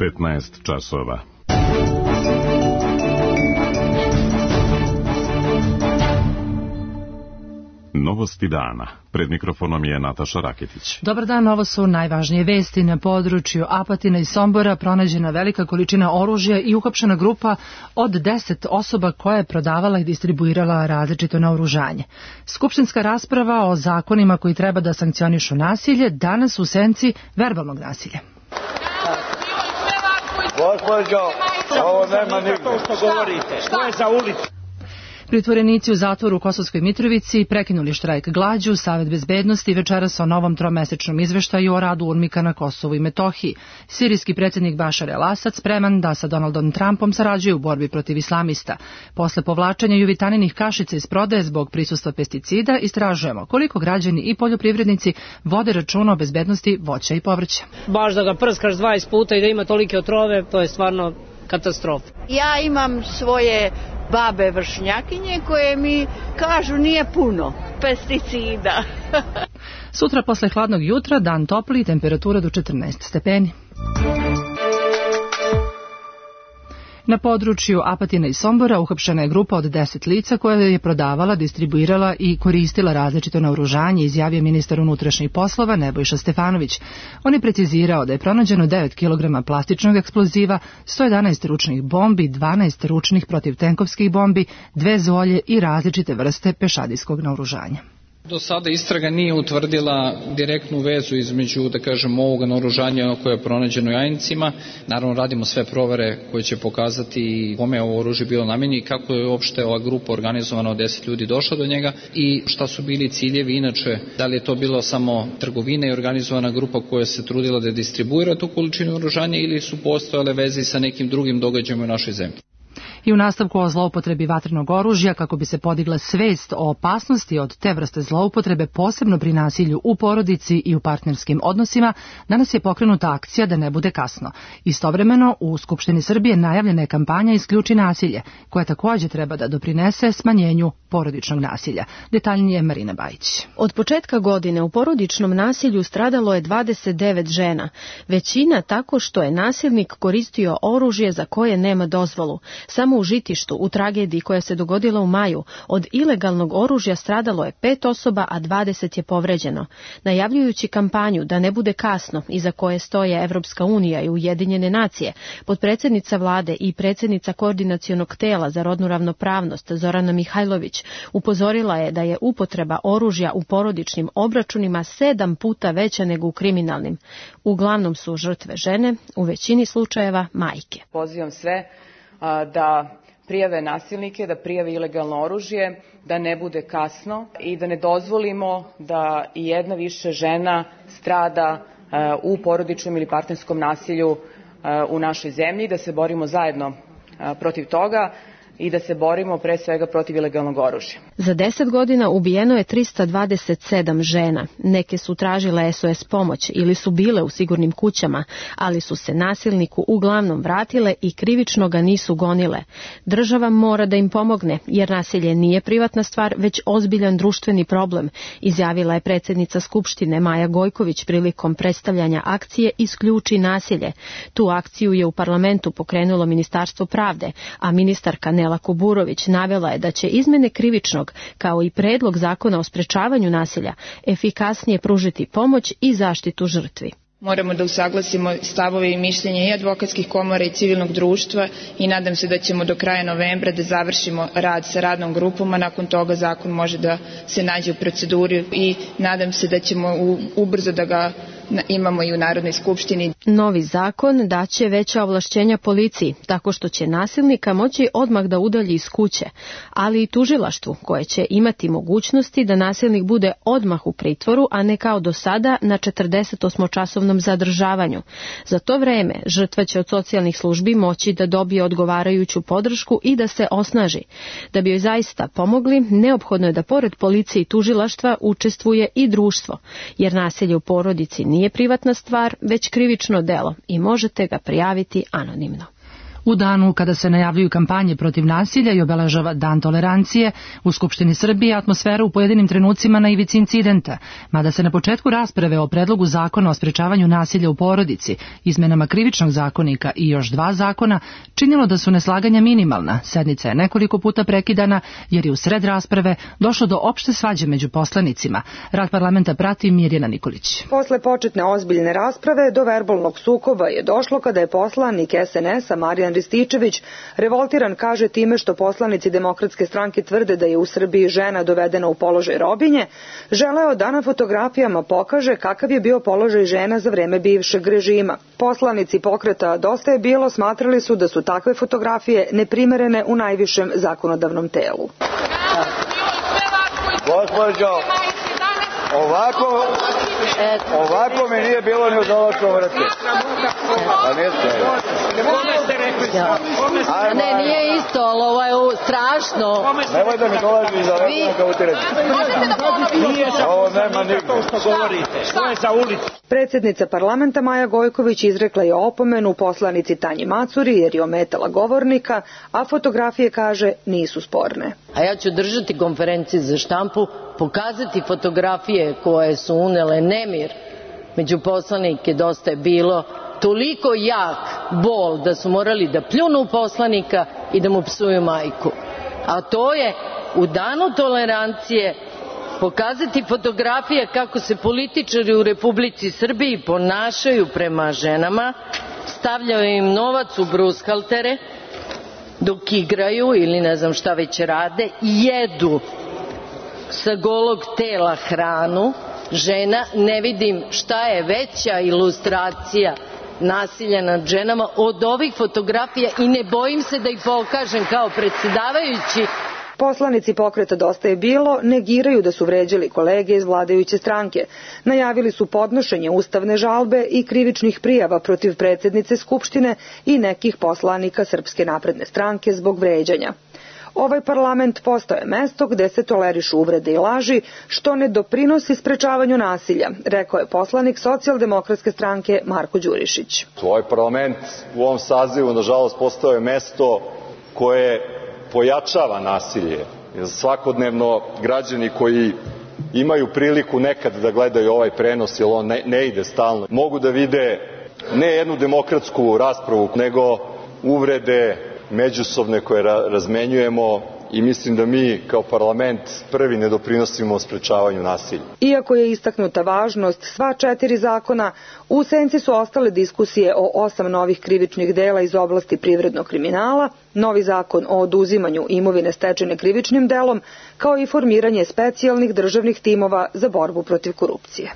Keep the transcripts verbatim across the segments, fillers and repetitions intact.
petnaest časova. Novosti dana. Pred mikrofonom je Nataša Raketić. Dobar dan, ovo su najvažnije vesti. Na području Apatina i Sombora pronađena velika količina oružja i uhapšena grupa od deset osoba koja je prodavala i distribuirala različito naoružanje. Skupštinska rasprava o zakonima koji treba da sankcionišu nasilje danas u senci verbalnog nasilja. Gospođo, ovo nema nigde. Što govorite? Što je za ulicu? Pritvorenici u zatvoru u Kosovskoj Mitrovici prekinuli štrajk glađu. Savet bezbednosti večeras o novom tromesečnom izveštaju o radu UNMIK-a na Kosovu i Metohiji. Sirijski predsjednik Bašar el-Asad spreman da sa Donaldom Trumpom sarađuje u borbi protiv islamista. Posle povlačenja juvitaninih kašica iz prodaje zbog prisustva pesticida istražujemo koliko građani i poljoprivrednici vode računa o bezbednosti voća i povrća. Baš da ga prskaš dvadeset puta i da ima tolike otrove, to je stvarno katastrofa. Ja imam svoje babe vršnjakinje koje mi kažu nije puno pesticida. Sutra posle hladnog jutra dan topli, temperatura do četrnaest stepeni. Na području Apatina i Sombora uhapšena je grupa od deset lica koja je prodavala, distribuirala i koristila različito naoružanje, izjavio ministar unutrašnjih poslova Nebojša Stefanović. On je precizirao da je pronađeno devet kilograma plastičnog eksploziva, sto jedanaest ručnih bombi, dvanaest ručnih protivtenkovskih bombi, dve zolje i različite vrste pešadijskog naoružanja. Do sada istraga nije utvrdila direktnu vezu između, da kažem, ovoga naoružanja koje je pronađeno u Jajincima. Naravno, radimo sve provere koje će pokazati kome je ovo oružje bilo namenjeno i kako je uopšte ova grupa organizovana od deset ljudi došla do njega i šta su bili ciljevi. Inače, da li je to bilo samo trgovina i organizovana grupa koja se trudila da distribuira tu količinu oružanja ili su postojale veze sa nekim drugim događajima u našoj zemlji. I u nastavku o zloupotrebi vatrenog oružja kako bi se podigla svest o opasnosti od te vrste zloupotrebe, posebno pri nasilju u porodici i u partnerskim odnosima, danas je pokrenuta akcija Da ne bude kasno. Istovremeno u Skupštini Srbije najavljena je kampanja Isključi nasilje, koja također treba da doprinese smanjenju porodičnog nasilja. Detaljnije Marina Bajić. Od početka godine u porodičnom nasilju stradalo je dvadeset devet žena, većina tako što je nasilnik koristio oružje za koje nema dozvolu. Samo u Žitištu, u tragediji koja se dogodila u maju, od ilegalnog oružja stradalo je pet osoba, a dvadeset je povređeno. Najavljujući kampanju Da ne bude kasno, iza koje stoje Evropska unija i Ujedinjene nacije, potpredsjednica vlade i predsjednica koordinacionog tela za rodnu ravnopravnost Zorana Mihajlović upozorila je da je upotreba oružja u porodičnim obračunima sedam puta veća nego u kriminalnim. Uglavnom su žrtve žene, u većini slučajeva majke. Pozivam sve da prijave nasilnike, da prijave ilegalno oružje, da ne bude kasno i da ne dozvolimo da i jedna više žena strada u porodičnom ili partnerskom nasilju u našoj zemlji, da se borimo zajedno protiv toga i da se borimo pre svega protiv ilegalnog oružja. Za deset godina ubijeno je trista dvadeset sedam žena. Neke su tražile S O S pomoć ili su bile u sigurnim kućama, ali su se nasilniku uglavnom vratile i krivično ga nisu gonile. Država mora da im pomogne, jer nasilje nije privatna stvar, već ozbiljan društveni problem, izjavila je predsjednica Skupštine Maja Gojković prilikom predstavljanja akcije Isključi nasilje. Tu akciju je u parlamentu pokrenulo Ministarstvo pravde, a ministarka Nela Kuburović navela je da će izmene krivičnog, kao i predlog zakona o sprečavanju nasilja, efikasnije pružiti pomoć i zaštitu žrtvi. Moramo da usaglasimo stavove i mišljenja i advokatskih komora i civilnog društva i nadam se da ćemo do kraja novembra da završimo rad sa radnom grupom, a nakon toga zakon može da se nađe u proceduri i nadam se da ćemo ubrzo da ga imamo i u Narodnoj skupštini. Novi zakon daće veća ovlašćenja policiji, tako što će nasilnika moći odmah da udalji iz kuće, ali i tužilaštvu, koje će imati mogućnosti da nasilnik bude odmah u pritvoru, a ne kao do sada na četrdesetosmočasovnom zadržavanju. Za to vreme žrtva će od socijalnih službi moći da dobije odgovarajuću podršku i da se osnaži. Da bi joj zaista pomogli, neophodno je da pored policije i tužilaštva učestvuje i društvo, jer nasilje u porodici nije privatna stvar, već krivično delo i možete ga prijaviti anonimno. U danu kada se najavljuju kampanje protiv nasilja i obeležava Dan tolerancije, u Skupštini Srbije atmosfera u pojedinim trenucima na ivici incidenta, mada se na početku rasprave o predlogu zakona o sprečavanju nasilja u porodici, izmenama krivičnog zakonika i još dva zakona, činilo da su neslaganja minimalna. Sednica je nekoliko puta prekidana jer je u sred rasprave došlo do opšte svađe među poslanicima. Rad parlamenta prati Mirjana Nikolić. Posle početne ozbiljne rasprave do verbalnog sukoba je došlo kada je poslanik es en es-a Marijan Rističević revoltiran, kaže, time što poslanici Demokratske stranke tvrde da je u Srbiji žena dovedena u položaj robinje, želeo da na fotografijama pokaže kakav je bio položaj žena za vreme bivšeg režima. Poslanici pokreta Dosta je bilo smatrali su da su takve fotografije neprimerene u najvišem zakonodavnom telu. Gospođo, ovako, ovako mi nije bilo ni u dolačkom vrtu. A nije se. Ne, nije isto, ali ovo je strašno. Nemoj da mi dolazi iza vremena kao utirati. Ovo nema nigde. Što govorite? Što je za ulicu? Predsjednica parlamenta Maja Gojković izrekla je opomenu poslanici Tanji Macuri jer je ometala govornika, a fotografije, kaže, nisu sporne. A ja ću držati konferenciju za štampu, pokazati fotografije koje su unele nemir među poslanike. Dosta je bilo, toliko jak bol da su morali da pljunu poslanika i da mu psuju majku. A to je u danu tolerancije pokazati fotografije kako se političari u Republici Srbiji ponašaju prema ženama, stavljaju im novac u brushaltere dok igraju ili ne znam šta već rade, jedu sa golog tela hranu žena. Ne vidim šta je veća ilustracija nasilja nad ženama od ovih fotografija i ne bojim se da ih pokažem kao predsjedavajući. Poslanici pokreta Dosta je bilo negiraju da su vređali kolege iz vladajuće stranke. Najavili su podnošenje ustavne žalbe i krivičnih prijava protiv predsjednice Skupštine i nekih poslanika Srpske napredne stranke zbog vređanja. Ovaj parlament postao je mesto gde se tolerišu uvrede i laži, što ne doprinosi sprečavanju nasilja, rekao je poslanik Socijaldemokratske stranke Marko Đurišić. Ovaj parlament u ovom sazivu, nažalost, postao je mesto koje pojačava nasilje. Svakodnevno građani koji imaju priliku nekad da gledaju ovaj prenos, jer on ne, ne ide stalno, mogu da vide ne jednu demokratsku raspravu, nego uvrede međusobne koje ra razmenjujemo i mislim da mi kao parlament prvi ne doprinosimo sprečavanju nasilja. Iako je istaknuta važnost sva četiri zakona, u senci su ostale diskusije o osam novih krivičnih dela iz oblasti privrednog kriminala, novi zakon o oduzimanju imovine stečene krivičnim delom, kao i formiranje specijalnih državnih timova za borbu protiv korupcije.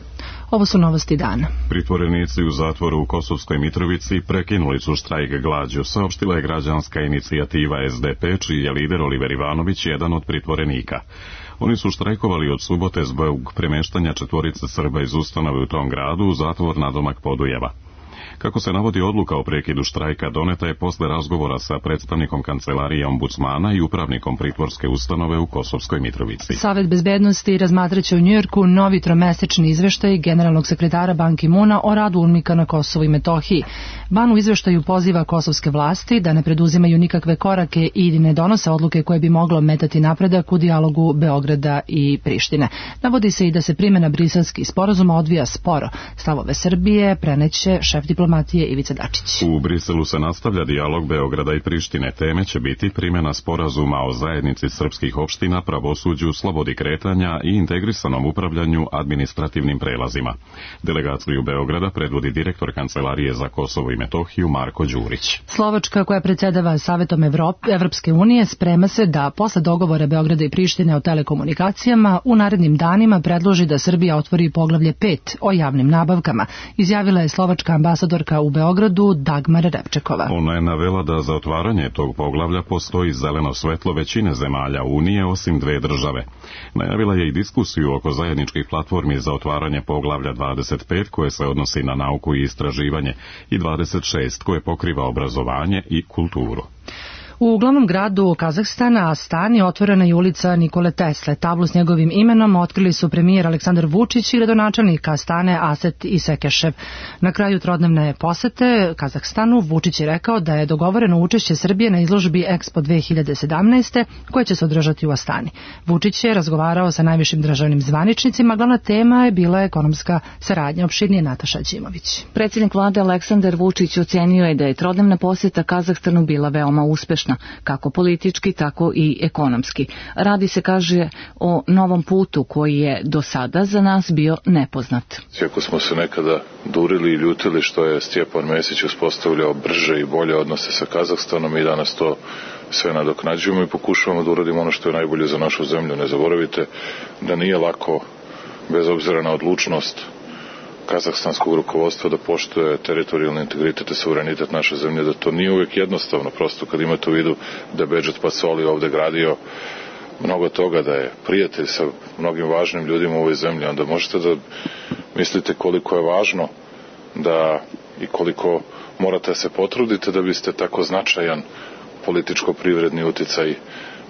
Ovo su novosti dana. Pritvorenici u zatvoru u Kosovskoj Mitrovici prekinuli su štrajk glađu, saopštila je građanska inicijativa es de pe, čiji je lider Oliver Ivanović jedan od pritvorenika. Oni su štrajkovali od subote zbog premeštanja četvorice Srba iz ustanove u tom gradu u zatvor nadomak Podujeva. Kako se navodi, odluka o prekidu štrajka doneta je posle razgovora sa predstavnikom kancelarije ombudsmana i upravnikom pritvorske ustanove u Kosovskoj Mitrovici. Savet bezbednosti razmatraće u Njujorku novi tromesečni izveštaj generalnog sekretara Ban Ki-muna o radu UNMIK-a na Kosovu i Metohiji. Ban u izveštaju poziva kosovske vlasti da ne preduzimaju nikakve korake i ne donose odluke koje bi moglo metati napredak u dijalogu Beograda i Prištine. Navodi se i da se primjena briselskih sporazuma odvija sporo. Stavove Srbije preneće šef diplomatije Ivica Dačić. U Briselu se nastavlja dijalog Beograda i Prištine. Teme će biti primjena sporazuma o zajednici srpskih opština, pravosuđu, slobodi kretanja i integrisanom upravljanju administrativnim prelazima. Delegaciju Beograda predvodi direktor Kancelarije za Kosovo i Metohiju Marko Đurić. Slovačka, koja predsjedava Savetom Evrop, Evropske unije, sprema se da posle dogovora Beograda i Prištine o telekomunikacijama u narednim danima predloži da Srbija otvori poglavlje pet o javnim nabavkama, izjavila je slovačka ambasadorka u Beogradu Dagmar Repčekova. Ona je navela da za otvaranje tog poglavlja postoji zeleno svetlo većine zemalja Unije osim dve države. Najavila je i diskusiju oko zajedničkih platformi za otvaranje poglavlja dvadeset pet koje se odnosi na nauku i istraživanje i dvadeset šest koje pokriva obrazovanje i kulturu. U glavnom gradu Kazahstana, Astani, otvorena je ulica Nikole Tesle. Tablu s njegovim imenom otkrili su premijer Aleksandar Vučić i gradonačelnik Astane Aset Isekešev. Na kraju trodnevne posete Kazahstanu Vučić je rekao da je dogovoreno učešće Srbije na izložbi Expo dve hiljade sedamnaeste koja će se održati u Astani. Vučić je razgovarao sa najvišim državnim zvaničnicima, glavna tema je bila ekonomska saradnja. Opširnije Nataša Đimović. Predsjednik vlade Aleksandar Vučić ocenio je da je trodnevna posjeta Kazahstanu bila veoma uspešna, kako politički, tako i ekonomski. Radi se, kaže, o novom putu koji je do sada za nas bio nepoznat. Iako smo se nekada durili i ljutili što je Stjepan Mesić uspostavljao brže i bolje odnose sa Kazahstanom, mi danas to sve nadoknađujemo i pokušavamo da uradimo ono što je najbolje za našu zemlju. Ne zaboravite da nije lako, bez obzira na odlučnost kazahstanskog rukovodstva, da poštuje teritorijalni integritet i suverenitet naše zemlje, da to nije uvijek jednostavno. Prosto kad imate u vidu da je Bedžet Pacoli ovde gradio mnogo toga, da je prijatelj sa mnogim važnim ljudima u ovoj zemlji, onda možete da mislite koliko je važno da i koliko morate da se potrudite da biste tako značajan političko-privredni uticaj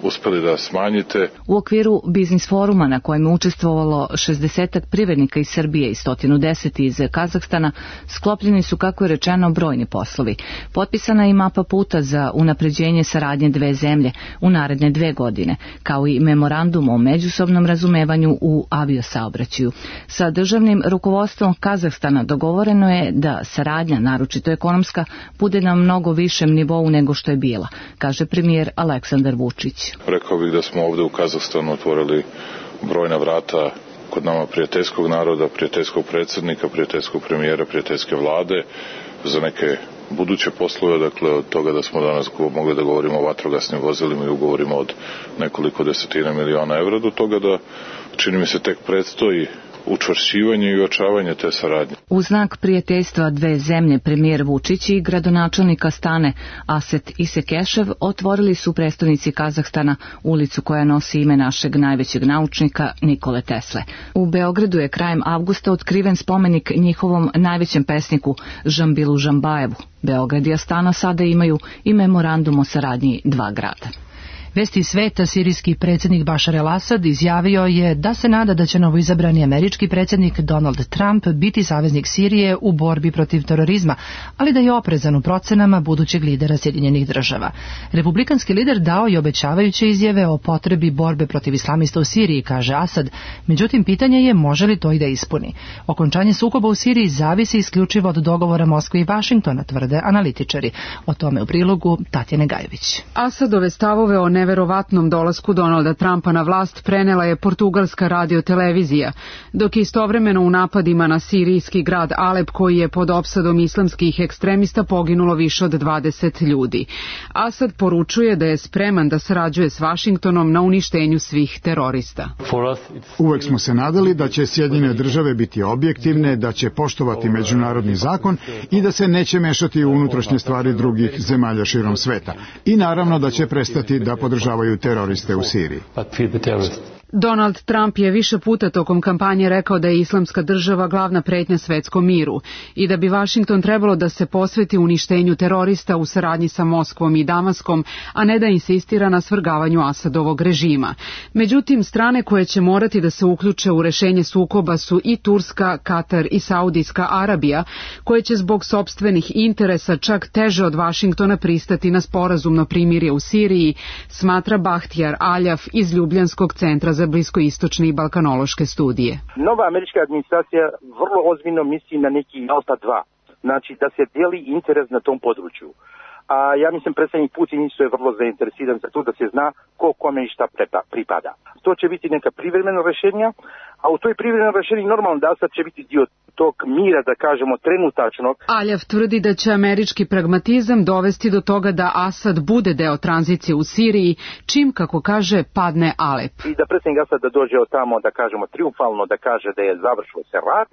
uspeli da smanjite. U okviru biznis foruma na kojem je učestvovalo šezdesetak privrednika iz Srbije i sto deset iz Kazahstana, sklopljeni su, kako je rečeno, brojni poslovi. Potpisana je i mapa puta za unapređenje saradnje dve zemlje u naredne dve godine, kao i memorandum o međusobnom razumevanju u aviosaobraćaju. Sa državnim rukovodstvom Kazahstana dogovoreno je da saradnja, naročito ekonomska, bude na mnogo višem nivou nego što je bila, kaže premijer Aleksandar Vučić. Rekao bih da smo ovde u Kazahstanu otvorili brojna vrata kod nama prijateljskog naroda, prijateljskog predsjednika, prijateljskog premijera, prijateljske vlade za neke buduće poslove, dakle od toga da smo danas mogli da govorimo o vatrogasnim vozilima i ugovorima od nekoliko desetina miliona evra, do toga da, čini mi se, tek predstoji učvršćivanje i ojačavanje te saradnje. U znak prijateljstva dve zemlje, premijer Vučić i gradonačelnik Astane Aset Isekešev otvorili su prestonici Kazahstana ulicu koja nosi ime našeg najvećeg naučnika Nikole Tesle. U Beogradu je krajem avgusta otkriven spomenik njihovom najvećem pesniku Žambilu Žambajevu. Beograd i Astana sada imaju i memorandum o saradnji dva grada. Vesti sveta, sirijski predsjednik Bašar el-Asad izjavio je da se nada da će novoizabrani američki predsjednik Donald Trump biti saveznik Sirije u borbi protiv terorizma, ali da je oprezan u procenama budućeg lidera Sjedinjenih država. Republikanski lider dao je obećavajuće izjave o potrebi borbe protiv islamista u Siriji, kaže Asad, međutim pitanje je može li to i da ispuni. Okončanje sukoba u Siriji zavisi isključivo od dogovora Moskve i Vašingtona, tvrde analitičari. O tome u prilogu Tatjane Gajović. Asadove stavove o neverovatnom dolasku Donalda Trumpa na vlast prenela je portugalska radiotelevizija, dok istovremeno u napadima na sirijski grad Alep, koji je pod opsadom islamskih ekstremista, poginulo više od dvadeset ljudi. Asad poručuje da je spreman da sarađuje s Vašingtonom na uništenju svih terorista. Uvek smo se nadali da će Sjedinjene države biti objektivne, da će poštovati međunarodni zakon i da se neće mešati u unutrašnje stvari drugih zemalja širom sveta. I naravno da će prestati da podržavaju teroriste u Siriji. Donald Trump je više puta tokom kampanje rekao da je islamska država glavna pretnja svetskom miru i da bi Vašington trebalo da se posveti uništenju terorista u saradnji sa Moskvom i Damaskom, a ne da insistira na svrgavanju Asadovog režima. Međutim, strane koje će morati da se uključe u rešenje sukoba su i Turska, Katar i Saudijska Arabija, koje će zbog sopstvenih interesa čak teže od Vašingtona pristati na sporazumno primirje u Siriji, smatra Bahtjar Aljaf iz Ljubljanskog centra za bliskoistočne i balkanološke studije. Nova američka administracija vrlo ozbiljno misli na neki Alta dva, znači da se dijeli interes na tom području. A ja mislim predsjednik Putin isto je vrlo zainteresiran za to da se zna ko kome i šta pripada. To će biti neka privremena rješenja, a u toj privremenoj rješenji normalno da Asad će biti dio tog mira, da kažemo, trenutačnog. Aljav tvrdi da će američki pragmatizam dovesti do toga da Asad bude deo tranzicije u Siriji, čim, kako kaže, padne Alep. I da predsjednik Asad da dođe od tamo, da kažemo, triumfalno da kaže da je završio se rat,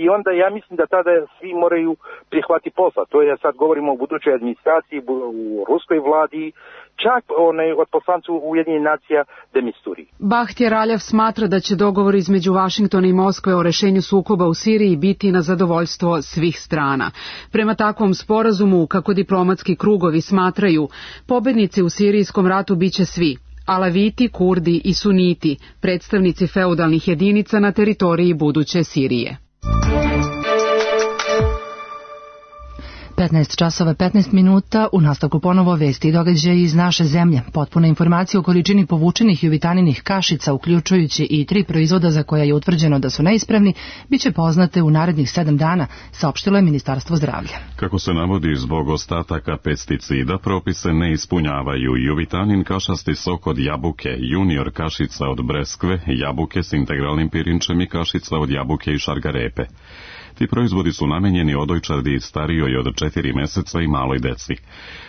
i onda ja mislim da tada svi moraju prihvati posla. To je, sad govorimo o budućoj administraciji, u ruskoj vladi čak onaj, od poslanca Ujedinjenih nacija de Misturi. Bahtjer Aljav smatra da će dogovor između Vašingtona i Moskve o rešenju sukoba u Siriji biti na zadovoljstvo svih strana. Prema takvom sporazumu, kako diplomatski krugovi smatraju, pobednici u sirijskom ratu biće svi: Alaviti, Kurdi i Suniti, predstavnici feudalnih jedinica na teritoriji buduće Sirije. petnaest časova petnaest minuta, u nastavku ponovo vesti i događaji iz naše zemlje. Potpuna informacija o količini povučenih juvitaninih kašica, uključujući i tri proizvoda za koja je utvrđeno da su neispravni, biće poznate u narednih sedam dana, saopštilo je Ministarstvo zdravlja. Kako se navodi, zbog ostataka pesticida propise ne ispunjavaju juvitanin kašasti sok od jabuke, junior kašica od breskve, jabuke s integralnim pirinčem i kašica od jabuke i šargarepe. Ti proizvodi su namenjeni odojčadi starijoj od četiri meseca i maloj deci.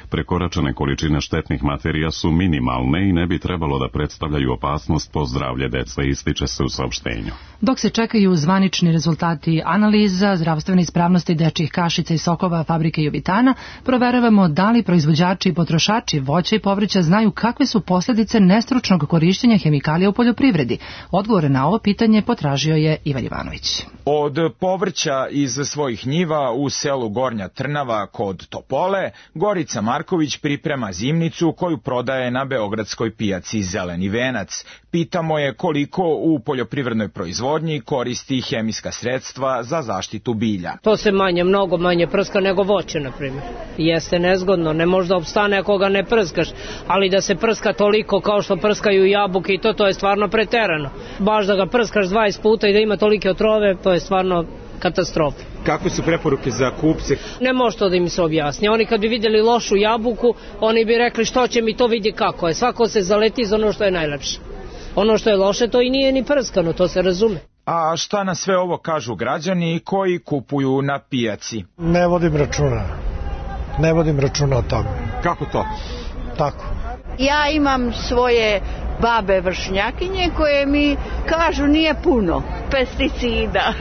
Prekoračene količine štetnih materija su minimalne i ne bi trebalo da predstavljaju opasnost po zdravlje dece, ističe se u saopštenju. Dok se čekaju zvanični rezultati analiza zdravstvene ispravnosti dečjih kašica i sokova fabrike Juvitana, proveravamo da li proizvođači i potrošači voća i povrća znaju kakve su posljedice nestručnog korišćenja hemikalija u poljoprivredi. Odgovore na ovo pitanje potražio je Ivan Ivanović. Od povrća iz svojih njiva u selu Gornja Trnava kod Topole, Gorica Marković priprema zimnicu koju prodaje na beogradskoj pijaci Zeleni venac. Pitamo je koliko u poljoprivrednoj proizvodnji koristi hemijska sredstva za zaštitu bilja. To se manje, mnogo manje prska nego voće, na primjer. Jeste nezgodno, ne može da opstane ako ga ne prskaš, ali da se prska toliko kao što prskaju jabuke i to, to je stvarno preterano. Baš da ga prskaš dvadeset puta i da ima tolike otrove, to je stvarno katastrofa. Kakve su preporuke za kupce? Ne može to da im se objasni. Oni kad bi vidjeli lošu jabuku, oni bi rekli što će mi to, vidi kako je. Svako se zaleti za ono što je najlepše. Ono što je loše, to i nije ni prskano, to se razume. A šta na sve ovo kažu građani koji kupuju na pijaci? Ne vodim računa. Ne vodim računa o tome. Kako to? Tako. Ja imam svoje babe vršnjakinje koje mi kažu nije puno pesticida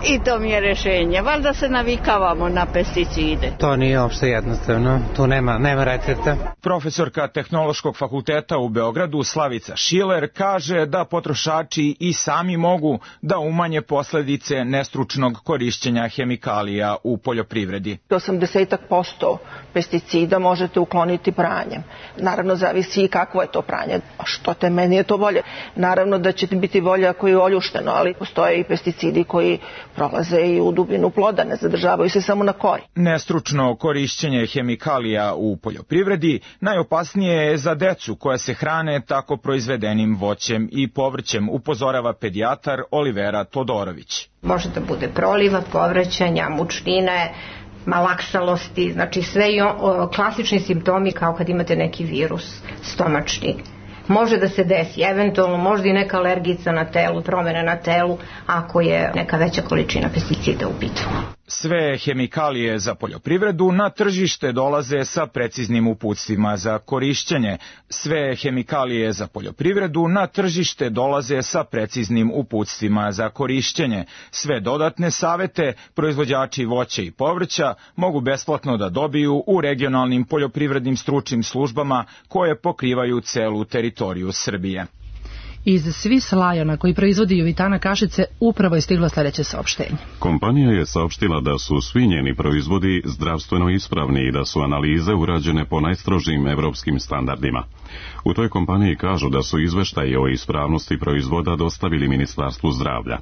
i to mi je rješenje. Valjda se navikavamo na pesticide. To nije uopšte jednostavno, tu nema, nema recepta. Profesorka Tehnološkog fakulteta u Beogradu Slavica Šiler kaže da potrošači i sami mogu da umanje posljedice nestručnog korišćenja hemikalija u poljoprivredi. osamdeset posto pesticida možete ukloniti pranjem. Naravno, zavisi i kakvo je to pranje. Što te meni je to bolje. Naravno da će biti bolje ako je oljušteno, ali postoje i pesticidi koji prolaze i u dubinu ploda, ne zadržavaju se samo na kori. Nestručno korišćenje hemikalija u poljoprivredi najopasnije je za decu koja se hrane tako proizvedenim voćem i povrćem, upozorava pedijatar Olivera Todorović. Može da bude proliva, povraćanja, mučnine, malaksalosti, znači sve i o, klasični simptomi kao kad imate neki virus stomačni. Može da se desi, eventualno možda i neka alergica na telu, promjene na telu, ako je neka veća količina pesticida u pitanju. Sve hemikalije za poljoprivredu na tržište dolaze sa preciznim uputstvima za korišćenje. Sve hemikalije za poljoprivredu na tržište dolaze sa preciznim uputstvima za korišćenje. Sve dodatne savete proizvođači voća i povrća mogu besplatno da dobiju u regionalnim poljoprivrednim stručnim službama koje pokrivaju celu teritoriju Srbije. Iz Swiss Liona, koji proizvodi Juvitana kašice, upravo je stiglo sljedeće saopštenje. Kompanija je saopštila da su svi njeni proizvodi zdravstveno ispravni i da su analize urađene po najstrožijim evropskim standardima. U toj kompaniji kažu da su izveštaje o ispravnosti proizvoda dostavili Ministarstvu zdravlja.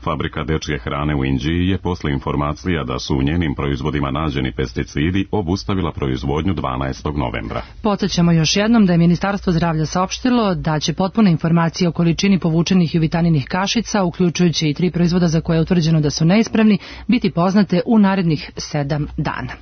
Fabrika dečje hrane u Inđiji je posle informacija da su u njenim proizvodima nađeni pesticidi obustavila proizvodnju dvanaestog novembra. Podsjećamo još jednom da je Ministarstvo zdravlja saopštilo da će potpune informacije o količini povučenih juvitaninih kašica, uključujući i tri proizvoda za koje je utvrđeno da su neispravni, biti poznate u narednih sedam dana.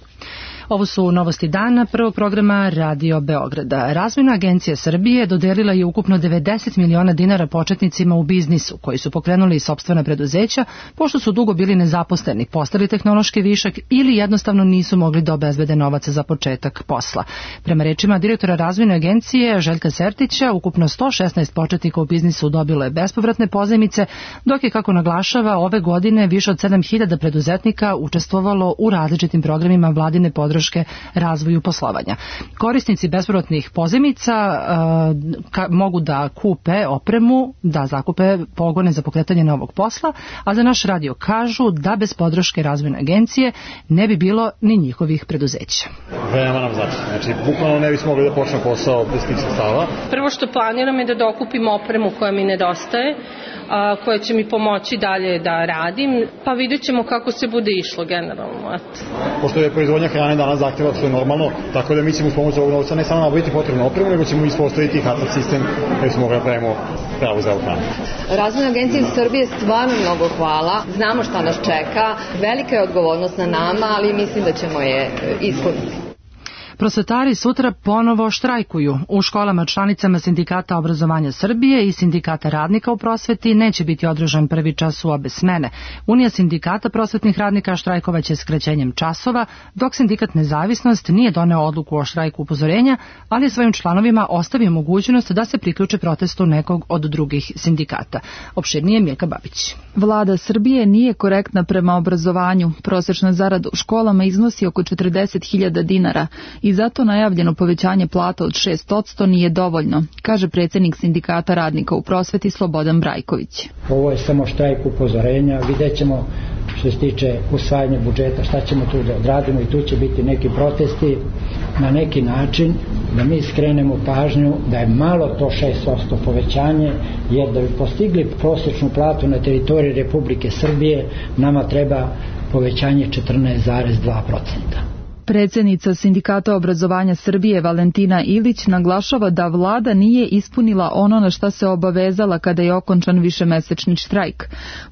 Ovo su novosti dana prvog programa Radio Beograda. Razvojna agencija Srbije dodelila je ukupno devedeset miliona dinara početnicima u biznisu, koji su pokrenuli sopstvena preduzeća, pošto su dugo bili nezaposleni, postali tehnološki višak ili jednostavno nisu mogli da obezbede novac za početak posla. Prema rečima direktora Razvojne agencije Željka Sertića, ukupno sto šesnaest početnika u biznisu dobilo je bespovratne pozajmice, dok je, kako naglašava, ove godine više od sedam hiljada preduzetnika učestvovalo u različitim programima vladine podrške podrške razvoju poslovanja. Korisnici bespovratnih pozajmica uh, mogu da kupe opremu, da zakupe pogone za pokretanje novog posla, a za naš radio kažu da bez podrške razvojne agencije ne bi bilo ni njihovih preduzeća. Veoma nam znači. Znači, bukvalno ne bismo mogli da počnemo posao bez tih sredstava. Prvo što planiram je da dokupim opremu koja mi nedostaje, a, koja će mi pomoći dalje da radim, pa vidjet ćemo kako se bude išlo generalno. Eto. Pošto je proizvodnja hrane danas zahtjeva sve normalno, tako da mi ćemo uz pomoć ovog novca ne samo nabaviti potrebnu opremu, nego ćemo ispostaviti kartni sistem da bismo mogli da pravimo pravu za hranu. Razvojna agencija Srbije stvarno mnogo hvala. Znamo šta nas čeka. Velika je odgovornost na nama, ali mislim da ćemo je ispuniti. Prosvetari sutra ponovo štrajkuju. U školama članicama Sindikata obrazovanja Srbije i Sindikata radnika u prosveti neće biti održan prvi čas u obe smene. Unija sindikata prosvetnih radnika štrajkovaće skraćenjem časova, dok Sindikat Nezavisnost nije doneo odluku o štrajku upozorenja, ali je svojim članovima ostavio mogućnost da se priključe protestu nekog od drugih sindikata. Opširnije Mijeka Babić. Vlada Srbije nije korektna prema obrazovanju. Prosečna zarada u školama iznosi oko četrdeset hiljada dinara i zato najavljeno povećanje plata od šest posto nije dovoljno, kaže predsjednik Sindikata radnika u prosveti Slobodan Brajković. Ovo je samo štrajk upozorenja, vidjet ćemo što se tiče usvajanja budžeta, šta ćemo tu da odradimo i tu će biti neki protesti na neki način da mi skrenemo pažnju da je malo to šest posto povećanje, jer da bi postigli prosječnu platu na teritoriji Republike Srbije nama treba povećanje četrnaest zarez dva posto. Predsjednica Sindikata obrazovanja Srbije Valentina Ilić naglašava da vlada nije ispunila ono na šta se obavezala kada je okončan višemesečni štrajk.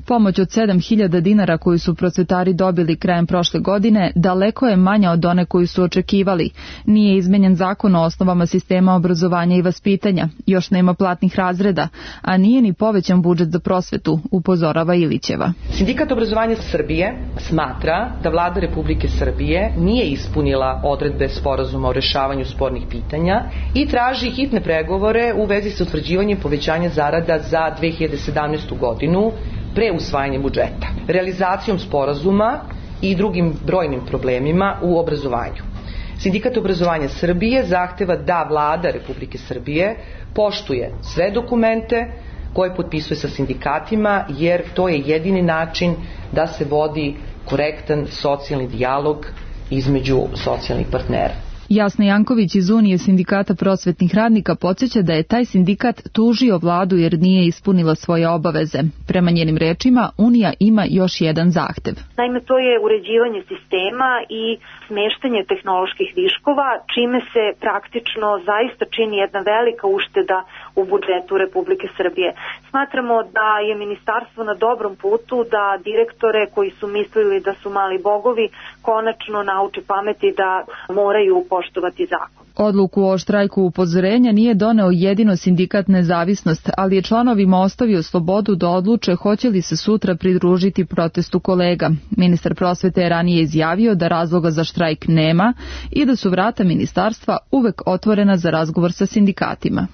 Pomoć od sedam hiljada dinara koju su prosvetari dobili krajem prošle godine daleko je manja od one koju su očekivali. Nije izmenjen zakon o osnovama sistema obrazovanja i vaspitanja, još nema platnih razreda, a nije ni povećan budžet za prosvetu, upozorava Ilićeva. Sindikat obrazovanja Srbije smatra da vlada Republike Srbije nije ispunila ispunila odredbe sporazuma o rešavanju spornih pitanja i traži hitne pregovore u vezi sa utvrđivanjem povećanja zarada za dve hiljade sedamnaestu. godinu pre usvajanja budžeta, realizacijom sporazuma i drugim brojnim problemima u obrazovanju. Sindikat obrazovanja Srbije zahteva da vlada Republike Srbije poštuje sve dokumente koje potpisuje sa sindikatima, jer to je jedini način da se vodi korektan socijalni dijalog između socijalnih partnera. Jasna Janković iz Unije sindikata prosvetnih radnika podsjeća da je taj sindikat tužio vladu jer nije ispunila svoje obaveze. Prema njenim rečima, Unija ima još jedan zahtev. Naime, to je uređivanje sistema i smeštanje tehnoloških viškova, čime se praktično zaista čini jedna velika ušteda u budžetu Republike Srbije. Smatramo da je ministarstvo na dobrom putu da direktore koji su mislili da su mali bogovi konačno nauče pameti da moraju poštovati zakon. Odluku o štrajku upozorenja nije doneo jedino Sindikat Nezavisnost, ali je članovima ostavio slobodu da odluče hoće li se sutra pridružiti protestu kolega. Ministar prosvete je ranije izjavio da razloga za štrajk nema i da su vrata ministarstva uvek otvorena za razgovor sa sindikatima.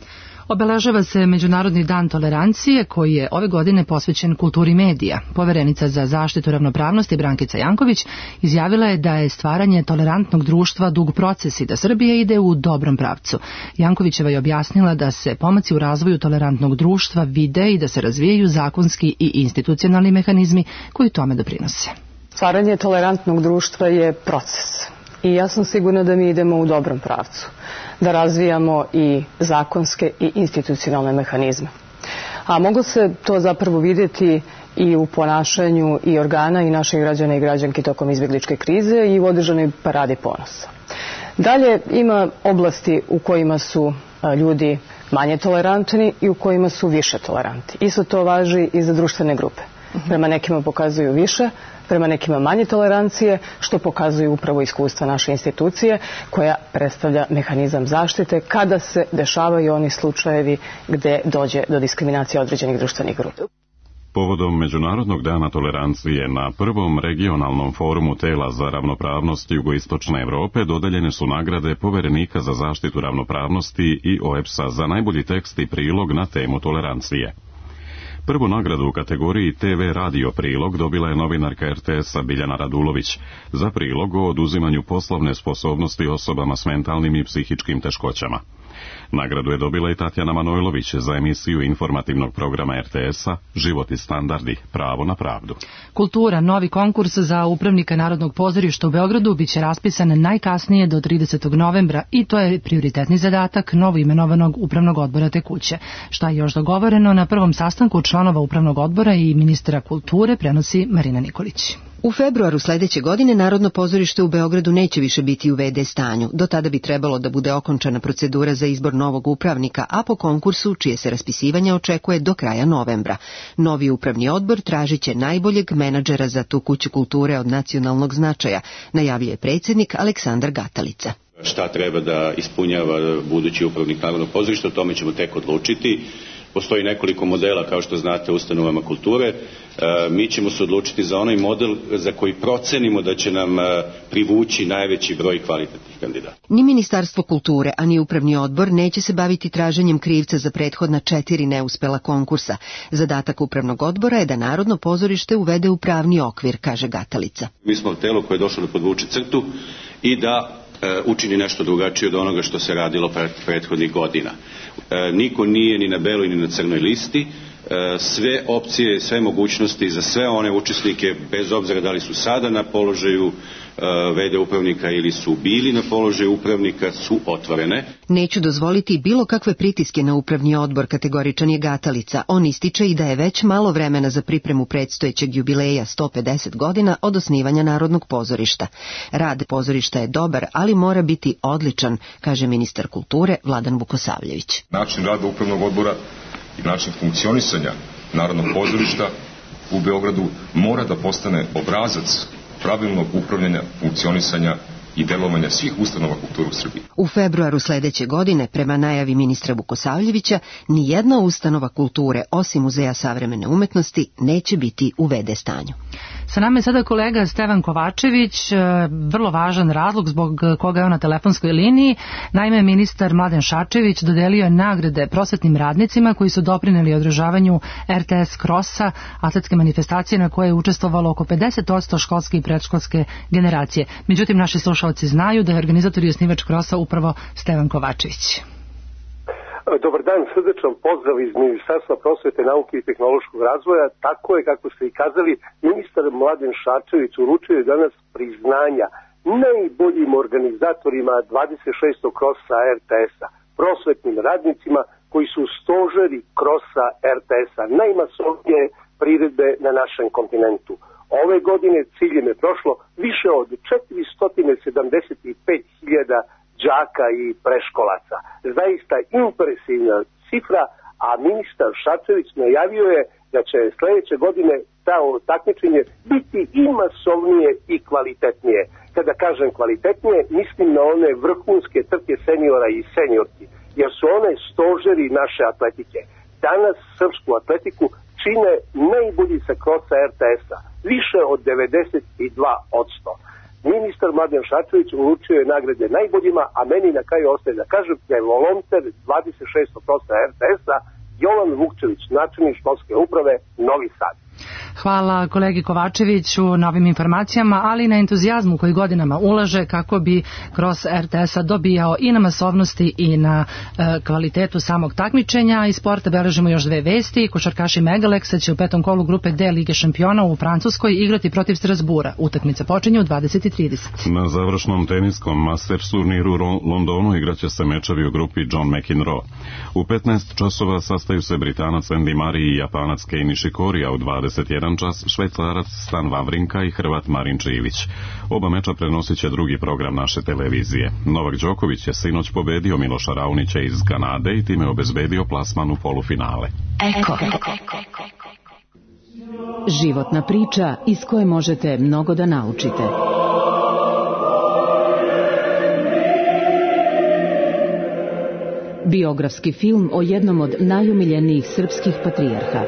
Obeležava se Međunarodni dan tolerancije koji je ove godine posvećen kulturi medija. Poverenica za zaštitu ravnopravnosti Brankica Janković izjavila je da je stvaranje tolerantnog društva dug proces i da Srbija ide u dobrom pravcu. Jankovićeva je objasnila da se pomaci u razvoju tolerantnog društva vide i da se razvijaju zakonski i institucionalni mehanizmi koji tome doprinose. Stvaranje tolerantnog društva je proces. I ja sam sigurna da mi idemo u dobrom pravcu, da razvijamo i zakonske i institucionalne mehanizme. A mogu se to zapravo vidjeti i u ponašanju i organa i naših građana i građanki tokom izbjegličke krize i u održanoj paradi ponosa. Dalje ima oblasti u kojima su ljudi manje tolerantni i u kojima su više tolerantni. Isto to važi i za društvene grupe. Prema nekima pokazuju više, prema nekima manje tolerancije, što pokazuju upravo iskustva naše institucije, koja predstavlja mehanizam zaštite kada se dešavaju oni slučajevi gde dođe do diskriminacije određenih društvenih grupa. Povodom Međunarodnog dana tolerancije na prvom regionalnom forumu tela za ravnopravnost jugoistočne Evrope dodeljene su nagrade Poverenika za zaštitu ravnopravnosti i O E B S A za najbolji tekst i prilog na temu tolerancije. Prvu nagradu u kategoriji T V radio prilog dobila je novinarka R T S-a Biljana Radulović za prilog o oduzimanju poslovne sposobnosti osobama s mentalnim i psihičkim teškoćama. Nagradu je dobila i Tatjana Manojlović za emisiju informativnog programa R T S-a Život i standardi, pravo na pravdu. Kultura, novi konkurs za upravnika Narodnog pozorišta u Beogradu biće raspisan najkasnije do tridesetog novembra i to je prioritetni zadatak novo imenovanog upravnog odbora te kuće. Šta je još dogovoreno na prvom sastanku članova upravnog odbora i ministra kulture prenosi Marina Nikolić. U februaru sledeće godine Narodno pozorište u Beogradu neće više biti u ve de stanju. Do tada bi trebalo da bude okončana procedura za izbor novog upravnika, a po konkursu, čije se raspisivanje očekuje do kraja novembra. Novi upravni odbor tražiće najboljeg menadžera za tu kuću kulture od nacionalnog značaja, najavljuje predsjednik Aleksandar Gatalica. Šta treba da ispunjava budući upravnik Narodnog pozorišta, o tome ćemo tek odlučiti. Postoji nekoliko modela, kao što znate, u ustanovama kulture. E, mi ćemo se odlučiti za onaj model za koji procenimo da će nam e, privući najveći broj kvalitetnih kandidata. Ni Ministarstvo kulture, a ni upravni odbor neće se baviti traženjem krivca za prethodna četiri neuspela konkursa. Zadatak upravnog odbora je da Narodno pozorište uvede u pravni okvir, kaže Gatalica. Mi smo telo koje je došlo da podvuče crtu i da učini nešto drugačije od onoga što se radilo prethodnih godina. E, niko nije ni na beloj ni na crnoj listi. E, sve opcije, sve mogućnosti za sve one učesnike, bez obzira da li su sada na položaju e, ve de upravnika ili su bili na položaju upravnika, su otvorene. Neću dozvoliti bilo kakve pritiske na upravni odbor, kategoričan je Gatalica. On ističe i da je već malo vremena za pripremu predstojećeg jubileja sto pedeset godina od osnivanja Narodnog pozorišta. Rad pozorišta je dobar, ali mora biti odličan, kaže ministar kulture Vladan Vukosavljević. Način rada upravnog odbora i način funkcionisanja Narodnog pozorišta u Beogradu mora da postane obrazac pravilnog upravljanja, funkcionisanja i delovanja svih ustanova kulture u Srbiji. U februaru sledeće godine, prema najavi ministra Vukosavljevića, ni jedna ustanova kulture, osim Muzeja savremene umetnosti, neće biti u ve de stanju. Sa nama je sada kolega Stevan Kovačević, vrlo važan razlog zbog koga je on na telefonskoj liniji. Naime, ministar Mladen Šarčević dodelio je nagrade prosvetnim radnicima koji su doprineli održavanju er te es Krosa, atletske manifestacije na koje je učestvovalo oko pedeset posto školske i predškolske generacije. Međutim, naši slušalci znaju da je organizator i osnivač Krosa upravo Stevan Kovačević. Dobar dan, srdečan pozdrav iz Ministarstva prosvete, nauke i tehnološkog razvoja. Tako je, kako ste i kazali, ministar Mladen Šarčević uručio je danas priznanja najboljim organizatorima dvadeset šestog Krosa er te es-a, prosvetnim radnicima koji su stožeri Krosa er te es-a, najmasovnije priredbe na našem kontinentu. Ove godine ciljem je prošlo više od četiristo sedamdeset pet hiljada đaka i preškolaca. Zaista impresivna cifra, a ministar Šarčević najavio je da će sledeće godine ta takmičenje biti i masovnije i kvalitetnije. Kada kažem kvalitetnije, mislim na one vrhunske trke seniora i seniorki, jer su one stožeri naše atletike. Danas srpsku atletiku čine najbolji sa Krosa er te es-a, više od devedeset dva posto. Ministar Mladen Šarčević uručio je nagrade najboljima, a meni na kraju ostaje da kažem da je volonter dvadeset šestog Krosa er te es-a Jovan Vukčević, načelnik školske uprave Novi Sad. Hvala kolegi Kovačeviću na ovim informacijama, ali i na entuzijazmu koji godinama ulaže kako bi Kros er te es-a dobijao i na masovnosti i na e, kvalitetu samog takmičenja. Iz sporta beležimo još dve vesti. Košarkaši Megaleksa će u petom kolu grupe D Lige šampiona u Francuskoj igrati protiv Strasbura. Utakmica počinje u dvadeset trideset. Na završnom teniskom Masters turniru u Londonu igraće se mečevi u grupi John McEnroe. U petnaest časova sastaju se Britanac Andy Murray i Japanac Kei Nishikori, a u dvadeset jedan čas Švajcarac Stan Wawrinka i Hrvat Marin Čivić. Oba meča prenosit će drugi program naše televizije. Novak Đoković je sinoć pobedio Miloša Raonića iz Kanade i time obezbedio plasman u polufinale. Eko. Životna priča iz koje možete mnogo da naučite. Biografski film o jednom od najumiljenijih srpskih patrijarha.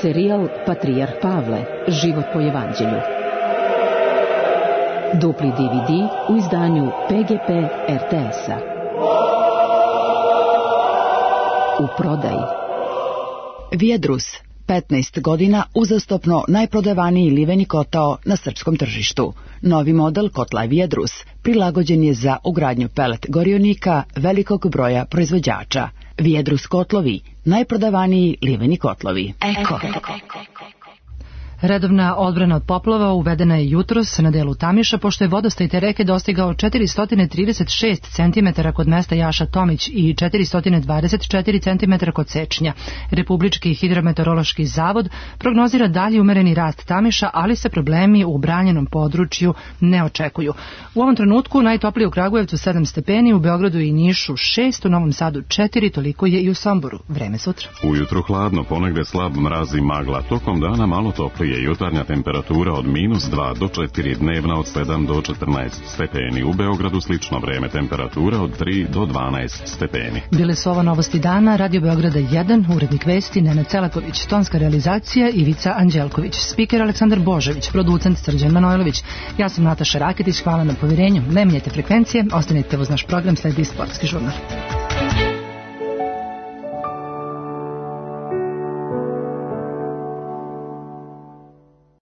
Serijal Patrijarh Pavle, život po evanđelju. Dupli de ve de u izdanju pe ge pe er te es-a. U prodaji. Vijedrus, petnaest godina uzastopno najprodavaniji liveni kotao na srpskom tržištu. Novi model kotla Vijedrus prilagođen je za ugradnju pelet gorionika velikog broja proizvođača. Vijedrus kotlovi, najprodavaniji liveni kotlovi. Eko. Redovna odbrana od poplava uvedena je jutros na delu Tamiša, pošto je vodostaj te reke dostigao četiristo trideset šest centimetara kod mesta Jaša Tomić i četiristo dvadeset četiri centimetra kod Sečnja. Republički hidrometeorološki zavod prognozira dalji umereni rast Tamiša, ali se problemi u branjenom području ne očekuju. U ovom trenutku najtoplije u Kragujevcu sedam stepeni, u Beogradu i Nišu šest, u Novom Sadu četiri, toliko je i u Somboru. Vreme sutra. Ujutru hladno, ponegde slab mraz i magla, tokom dana malo toplije. Je jutarnja temperatura od minus dva do četiri, dnevna od sedam do četrnaest stepeni. U Beogradu slično vreme, temperatura od tri do dvanaest stepeni. Bile su ovo novosti dana, Radio Beograda jedan, urednik vesti Nenad Celaković, tonska realizacija Ivica Anđelković, spiker Aleksandar Božević, producent Srđan Manojlović. Ja sam Nataša Raketić, hvala na povjerenju. Ne menjajte frekvencije, ostanite uz naš program, sledi sportski žurnal.